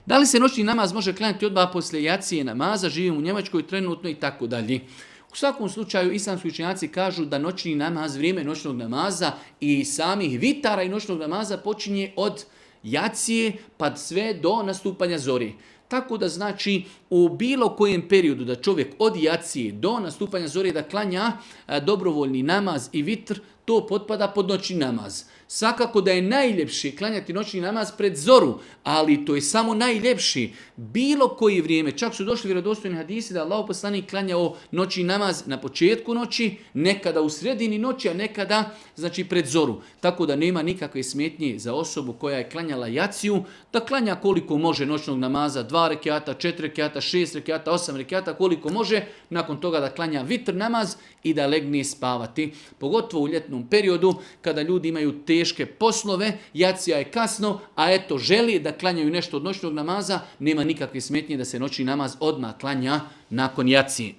Da li se noćni namaz može klanjati odmah poslije jacije namaza, živim u Njemačkoj trenutno i tako dalje. U svakom slučaju islamski učenjaci kažu da noćni namaz, vrijeme noćnog namaza i samih vitara i noćnog namaza počinje od jacije pa sve do nastupanja zori. Tako da znači u bilo kojem periodu da čovjek od jacije do nastupanja zore da klanja dobrovoljni namaz i vitr, to potpada pod noćni namaz. Svakako da je najljepši klanjati noćni namaz pred zoru, ali to je samo najljepši. Bilo koji vrijeme, čak su došli vjerodostojni hadisi da Allahov poslanik klanjao noćni namaz na početku noći, nekada u sredini noći, a nekada znači pred zoru. Tako da nema nikakve smetnje za osobu koja je klanjala jaciju, da klanja koliko može noćnog namaza, 2 rekiata, 4 rekiata, 6 rekiata, 8 rekiata, koliko može, nakon toga da klanja vitr namaz i da legne spavati. Pogotovo u ljetnom periodu kada ljudi imaju teške poslove, jacija je kasno, a eto želi da klanjaju nešto od noćnog namaza, nema nikakve smetnje da se noćni namaz odmah klanja nakon jacije.